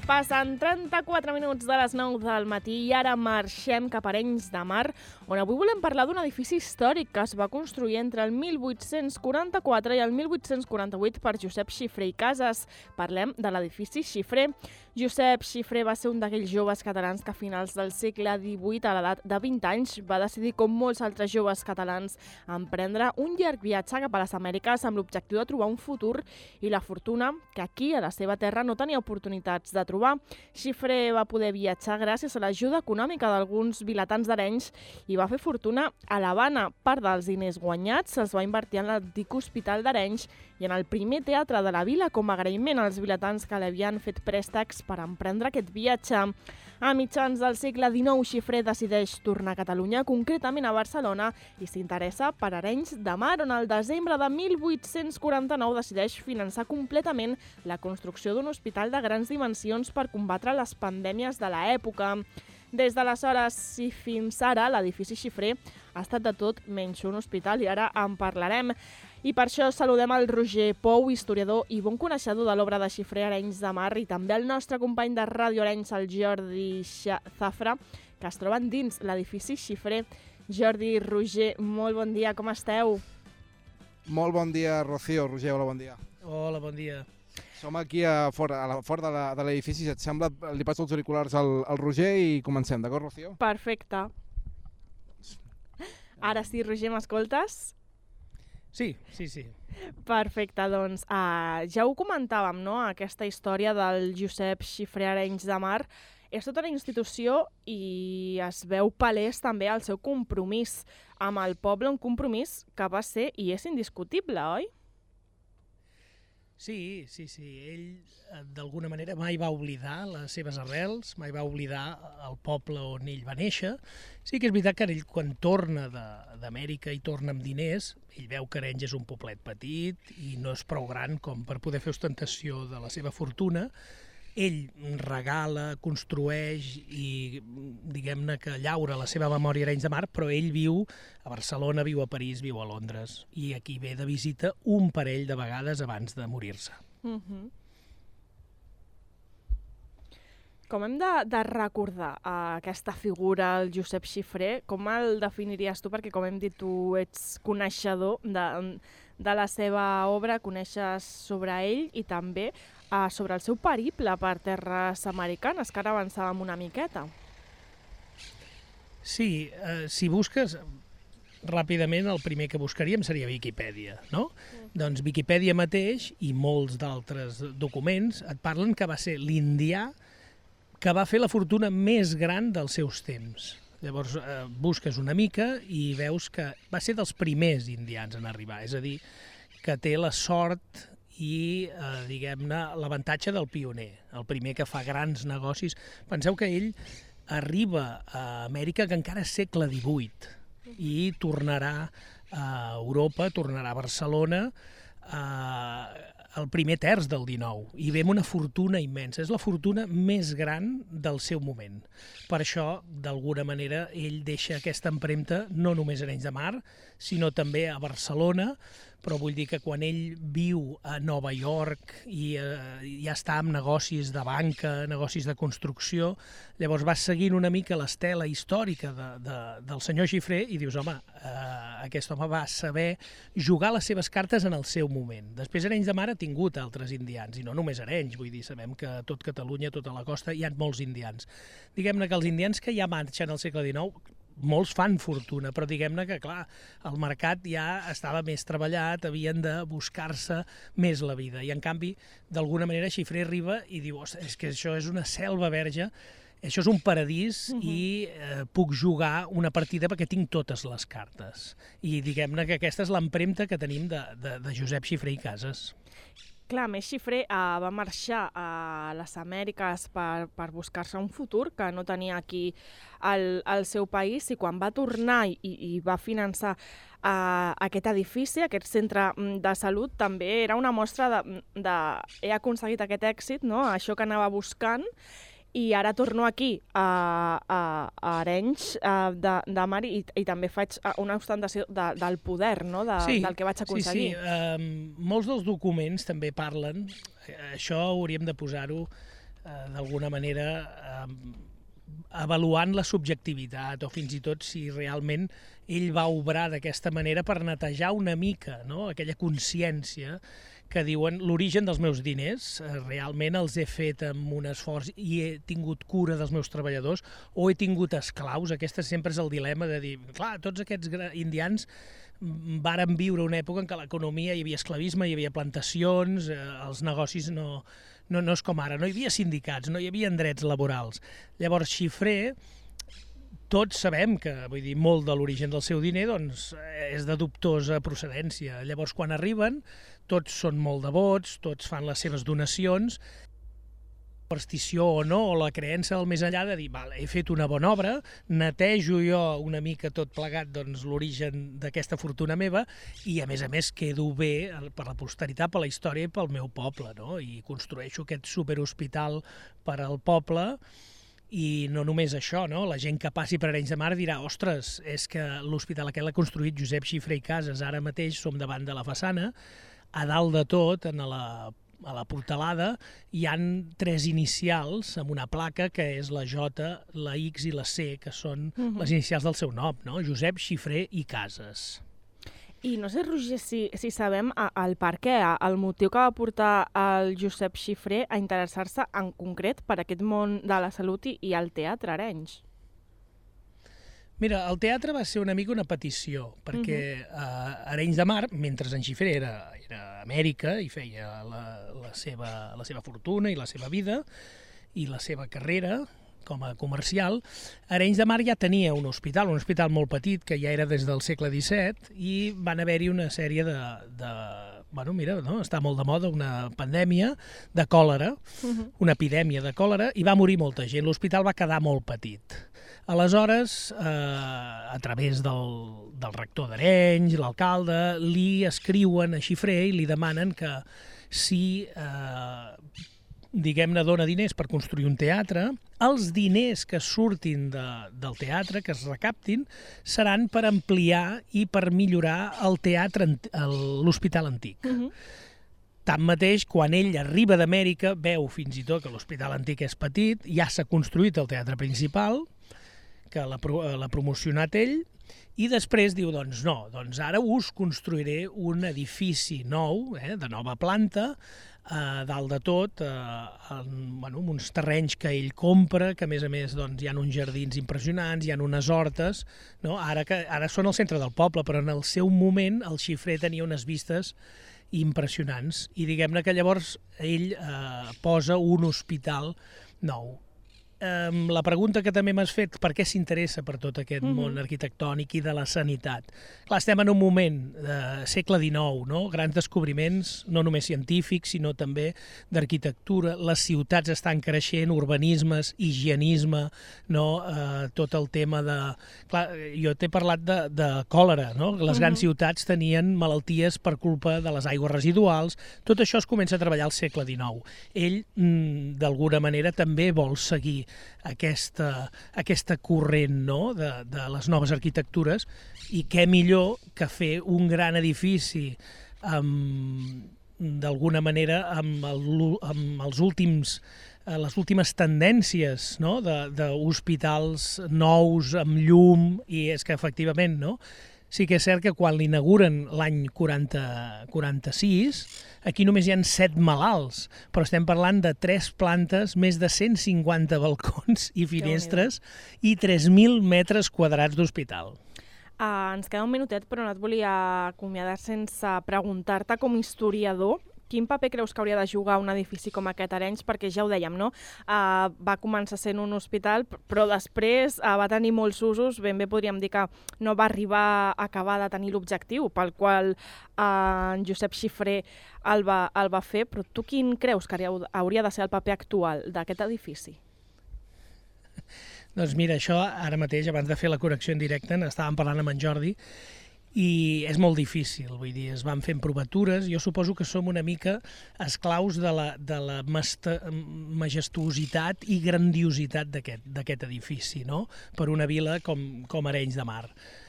Passen 34 minuts de les 9 del matí i ara marxem cap a Arenys de Mar, on avui volem parlar d'un edifici històric que es va construir entre el 1844 i el 1848 per Josep Xifré i Casas. Parlem de l'edifici Xifré. Josep Xifré va ser un d'aquells joves catalans que a finals del segle XVIII, a l'edat de 20 anys, va decidir, com molts altres joves catalans, emprendre un llarg viatge cap a les Amèriques amb l'objectiu de trobar un futur i la fortuna que aquí, a la seva terra, no tenia oportunitats de trobar. Xifré va poder viatjar gràcies a l'ajuda econòmica d'alguns vilatans d'Arenys i va fer fortuna a l'Havana. Part dels diners guanyats se'ls va invertir en l'antic hospital d'Arenys i en el primer teatre de la vila com a agraïment als vilatans que li havien fet préstecs per emprendre aquest viatge. A mitjans del segle XIX, Xifré decideix tornar a Catalunya, concretament a Barcelona, i s'interessa per Arenys de Mar, on el desembre de 1849 decideix finançar completament la construcció d'un hospital de grans dimensions per combatre les pandèmies de l'època. Des d'aleshores i fins ara, l'edifici Xifré ha estat de tot menys un hospital i ara en parlarem. I per això saludem el Roger Pou, historiador i bon coneixedor de l'obra de Xifré a Arenys de Mar, i també el nostre company de Ràdio Arenys, el Jordi Zafra, que es troben dins l'edifici Xifré. Jordi, Roger, molt bon dia, com esteu? Molt bon dia, Rocío. Roger, hola, bon dia. Hola, bon dia. Som aquí fora de l'edifici. Si et sembla, li passo els auriculars al Roger i comencem, d'acord, Rocío? Perfecte. Ara sí, Roger, m'escoltes? Sí. Perfecte, doncs ja ho comentàvem, no?, aquesta història del Josep Xifré a Arenys de Mar. És tota una institució i es veu palès també el seu compromís amb el poble, un compromís que va ser i és indiscutible, oi? Sí. Ell, d'alguna manera, mai va oblidar les seves arrels, mai va oblidar el poble on ell va néixer. Sí que és veritat que ell, quan torna d'Amèrica i torna amb diners, ell veu que Arenys és un poblet petit i no és prou gran com per poder fer ostentació de la seva fortuna. Ell regala, construeix i, diguem-ne, que llaura la seva memòria a Arenys de Mar, però ell viu a Barcelona, viu a París, viu a Londres, i aquí ve de visita un parell de vegades abans de morir-se. Com hem de recordar aquesta figura, el Josep Xifré? Com el definiries tu? Perquè, com hem dit, tu ets coneixedor de la seva obra, coneixes sobre ell i també sobre el seu periple per terres americanes, que ara avançàvem una miqueta. Sí, si busques, ràpidament el primer que buscaríem seria Viquipèdia, no? Doncs Viquipèdia mateix i molts d'altres documents et parlen que va ser l'indià que va fer la fortuna més gran dels seus temps. Llavors busques una mica i veus que va ser dels primers indians en arribar, és a dir, que té la sort i, diguem-ne, l'avantatge del pioner, el primer que fa grans negocis. Penseu que ell arriba a Amèrica que encara és segle XVIII i tornarà a Europa, tornarà a Barcelona el primer terç del XIX i ve amb una fortuna immensa. És la fortuna més gran del seu moment. Per això, d'alguna manera, ell deixa aquesta empremta no només a Arenys de Mar, sinó també a Barcelona, però vull dir que quan ell viu a Nova York i ja està amb negocis de banca, negocis de construcció, llavors vas seguint una mica l'estela històrica del senyor Xifré i dius, home, aquest home va saber jugar les seves cartes en el seu moment. Després Arenys de Mar ha tingut altres indians, i no només Arenys, vull dir, sabem que a tot Catalunya, a tota la costa, hi ha molts indians. Diguem-ne que els indians que ja marxen al segle XIX, molts fan fortuna, però diguem-ne que, clar, el mercat ja estava més treballat, havien de buscar-se més la vida. I, en canvi, d'alguna manera, Xifré arriba i diu, és que això és una selva verge, això és un paradís i puc jugar una partida perquè tinc totes les cartes. I diguem-ne que aquesta és l'empremta que tenim de Josep Xifré i Casas. Clar, més Xifré va marxar a les Amèriques per buscar-se un futur que no tenia aquí al seu país, i quan va tornar i va finançar aquest edifici, aquest centre de salut, també era una mostra de he aconseguit aquest èxit, no?, això que anava buscant, i ara torno aquí a Arenys de Mar i també faig una ostentació del poder, no?, del que vaig aconseguir. Sí. Molts dels documents també parlen, això hauríem de posar-ho d'alguna manera, avaluant la subjectivitat o fins i tot si realment ell va obrar d'aquesta manera per netejar una mica, no?, aquella consciència que diuen l'origen dels meus diners, realment els he fet amb un esforç i he tingut cura dels meus treballadors o he tingut esclaus. Aquest sempre és el dilema de dir, clar, tots aquests indians varen viure una època en què l'economia hi havia esclavisme, hi havia plantacions, els negocis no és com ara, no hi havia sindicats, no hi havia drets laborals. Llavors, xifrer, tots sabem que, vull dir, molt de l'origen del seu diner doncs, és de dubtosa procedència. Llavors, quan arriben, tots són molt devots, tots fan les seves donacions, superstició o no, o la creença del més enllà de dir, vale, he fet una bona obra, netejo jo una mica tot plegat doncs, l'origen d'aquesta fortuna meva i, a més, quedo bé per la posteritat, per la història i pel meu poble, no? I construeixo aquest superhospital per al poble. I no només això, no? La gent que passi per Arenys de Mar dirà, ostres, és que l'hospital aquest l'ha construït Josep Xifré i Casas, ara mateix som davant de la façana, a dalt de tot, a la portalada, hi han 3 inicials amb una placa que és la J, la X i la C, que són les inicials del seu nom, no? Josep Xifré i Casas. I no sé, Roger, si sabem el per què, el motiu que va portar el Josep Xifré a interessar-se en concret per aquest món de la salut i el teatre a Arenys. Mira, el teatre va ser una mica una petició, perquè Arenys de Mar, mentre en Xifré era a Amèrica i feia la seva fortuna i la seva vida i la seva carrera com a comercial, Arenys de Mar ja tenia un hospital molt petit, que ja era des del segle XVII, i van haver-hi una sèrie bueno, mira, no? Està molt de moda, una pandèmia de còlera, una epidèmia de còlera, i va morir molta gent. L'hospital va quedar molt petit. Aleshores, a través del rector d'Arenys, l'alcalde, li escriuen a Xifré i li demanen que si diguem-ne, dona diners per construir un teatre, els diners que surtin del teatre, que es recaptin, seran per ampliar i per millorar el teatre, l'hospital antic. Tanmateix, quan ell arriba d'Amèrica, veu fins i tot que l'hospital antic és petit, ja s'ha construït el teatre principal, que l'ha promocionat ell, i després diu, doncs no, doncs ara us construiré un edifici nou, de nova planta, dalt de tot, amb uns terrenys que ell compra, que a més hi ha uns jardins impressionants, hi ha unes hortes, no? Ara són al centre del poble, però en el seu moment el Xifré tenia unes vistes impressionants, i diguem-ne que llavors ell posa un hospital nou. La pregunta que també m'has fet, per què s'interessa per tot aquest món arquitectònic i de la sanitat? Clar, estem en un moment segle XIX, no? Grans descobriments, no només científics, sinó també d'arquitectura. Les ciutats estan creixent, urbanismes, higienisme, no? Tot el tema de... Clar, jo t'he parlat de còlera, no? Les grans ciutats tenien malalties per culpa de les aigües residuals. Tot això es comença a treballar al segle XIX. Ell, d'alguna manera, també vol seguir aquesta corrent, no? de les noves arquitectures, i què millor que fer un gran edifici d'alguna manera amb les últimes tendències, no? d'hospitals nous amb llum, i és que efectivament, no? Sí que és cert que quan l'inauguren l'any 46, aquí només hi ha 7 malalts, però estem parlant de 3 plantes, més de 150 balcons i finestres i 3.000 metres quadrats d'hospital. Ens queda un minutet, però no et volia acomiadar sense preguntar-te, com a historiador, quin paper creus que hauria de jugar un edifici com aquest a Arenys? Perquè ja ho dèiem, no? Va començar sent un hospital, però després va tenir molts usos. Ben bé podríem dir que no va arribar a acabar de tenir l'objectiu pel qual en Josep Xifré el va fer, però tu quin creus que hauria de ser el paper actual d'aquest edifici? Doncs mira, això ara mateix, abans de fer la connexió en directe, estàvem parlant amb en Jordi, i és molt difícil, vull dir, es van fent provatures. Jo suposo que som una mica esclaus de la majestuositat i grandiositat d'aquest edifici, no? Per una vila com Arenys de Mar.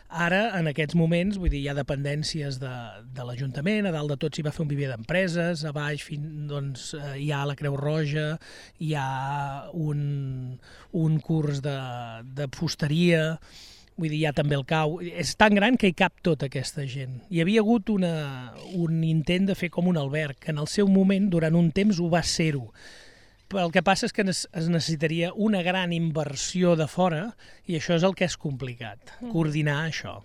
Ara, en aquests moments, vull dir, hi ha dependències de l'Ajuntament, a dalt de tot s'hi va fer un viver d'empreses, a baix doncs, hi ha la Creu Roja, hi ha un curs de fusteria, vull dir, hi ha també el cau. És tan gran que hi cap tota aquesta gent. Hi havia hagut un intent de fer com un alberg, que en el seu moment, durant un temps, ho va ser-ho. Però el que passa és que es necessitaria una gran inversió de fora i això és el que és complicat, coordinar això.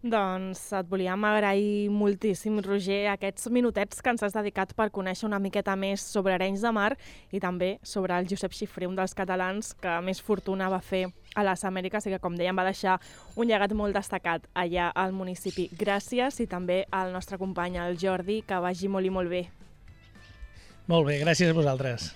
Doncs et volíem agrair moltíssim, Roger, aquests minutets que ens has dedicat per conèixer una miqueta més sobre Arenys de Mar i també sobre el Josep Xifré, un dels catalans que més fortuna va fer a les Amèriques i que, com dèiem, va deixar un llegat molt destacat allà al municipi. Gràcies i també al nostre company, el Jordi, que vagi molt i molt bé. Molt bé, gràcies a vosaltres.